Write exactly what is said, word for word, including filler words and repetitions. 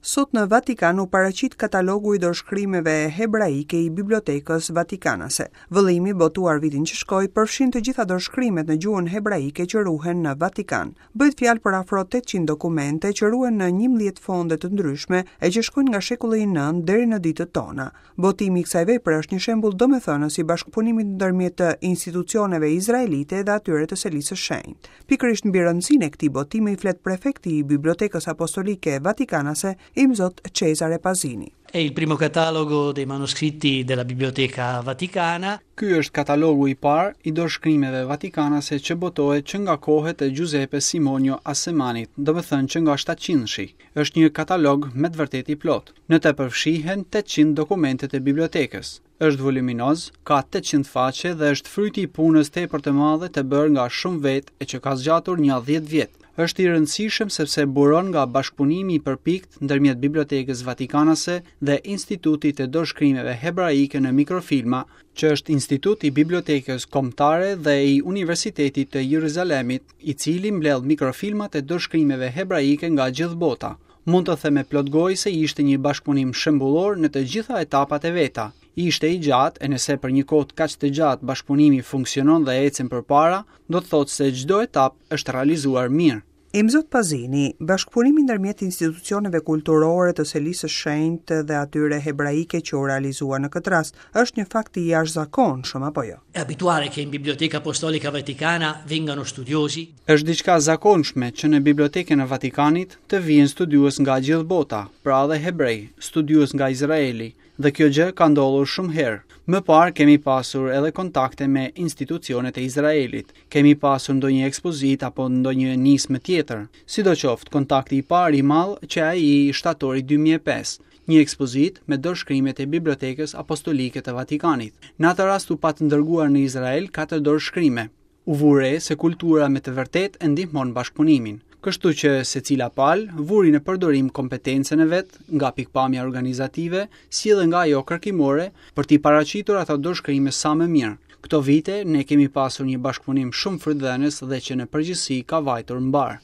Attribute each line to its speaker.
Speaker 1: Sot në Vatikan u paraqit katalogu i dorëshkrimeve hebraike i Bibliotekës Vatikanase. Vëllimi, botuar vitin që shkoi, përfshin të gjitha dorëshkrimet në gjuhën hebraike që ruhen në Vatikan. Bëhet fjalë për afro tetëqind dokumente që ruhen në njëmbëdhjetë fonde të ndryshme e që shkojnë nga shekulli i nëntë deri në ditët tona. Botimi i kësaj vepre është një shembull domethënës i bashkëpunimit ndërmjet institucioneve izraelite dhe atyre të Selisë së Shenjtë. Pikërisht mbi rëndësinë e këtij botimi flet prefekti i Bibliotekës Apostolike Vatikanase, Imzot Cesare Pasini.
Speaker 2: È il primo catalogo dei manoscritti della Biblioteca Vaticana.
Speaker 3: Ky është katalogu i parë i dorëshkrimeve vatikanase që botohet që nga kohët e Giuseppe Simonio Assemanit, do të thënë që nga shtatëqindshi. Është një katalog me të vërtetë i plot. Në të përfshihen tetëqind dokumentet e bibliotekës. Është voluminoz, ka tetëqind faqe dhe është fryti i punës tepër të madhe të bërë nga shumë vetë e që ka zgjatur një dhjetë vjet. Është i rëndësishëm sepse buron nga bashkëpunimi i përpikt ndërmjet Bibliotekës Vatikanase dhe Institutit të Dorëshkrimeve Hebraike në Mikrofilma, që është institut i Bibliotekës Kombëtare dhe i Universitetit të Jeruzalemit, i cili mbledh mikrofilmat e dorëshkrimeve hebraike nga gjithë bota. Mund të them me plot gojë se ishte një bashkëpunim shembullor në të gjitha etapat e veta. Ishte i gjatë, e nëse për një kohë kaq të gjatë bashkëpunimi funksionon dhe ecën përpara, do të thotë se çdo etapë është realizuar mirë.
Speaker 1: Imzot Pasini, bashkëpunimi ndërmjet institucioneve kulturore të Selisë së Shenjtë dhe atyre hebraike që u realizua në këtë rast, është një fakt i jashtëzakonshëm apo jo?
Speaker 2: È abituale che in Biblioteca Apostolica Vaticana vengano studiosi.
Speaker 3: Është diçka e zakonshme që në Bibliotekën e Vatikanit të vijnë studiues nga gjithë bota, pra edhe hebrej, studiues nga Izraeli, dhe kjo gjë ka ndodhur shumë herë. Më parë kemi pasur edhe kontakte me institucionet e Izraelit, kemi pasur ndonjë ekspozit apo ndonjë nismë tjetër. Sidoqoftë, kontakti i parë i madh që ai i shtatorit dy mijë e pesë, një ekspozit me dorëshkrimet e Bibliotekës Apostolike të Vatikanit. Në atë rast u pat ndërguar në Izrael katër dorëshkrime. U vure se kultura me të vërtetë e ndihmon bashkëpunimin. Kështu që secila palë vuri në përdorim kompetencën e vet nga pikpamja organizative, si edhe nga ajo kërkimore, për t'i paraqitur ato dorëshkrime sa më mirë. Këto vite ne kemi pasur një bashkëpunim shumë frytdhënës dhe që në përgjithësi ka vajtur mbar.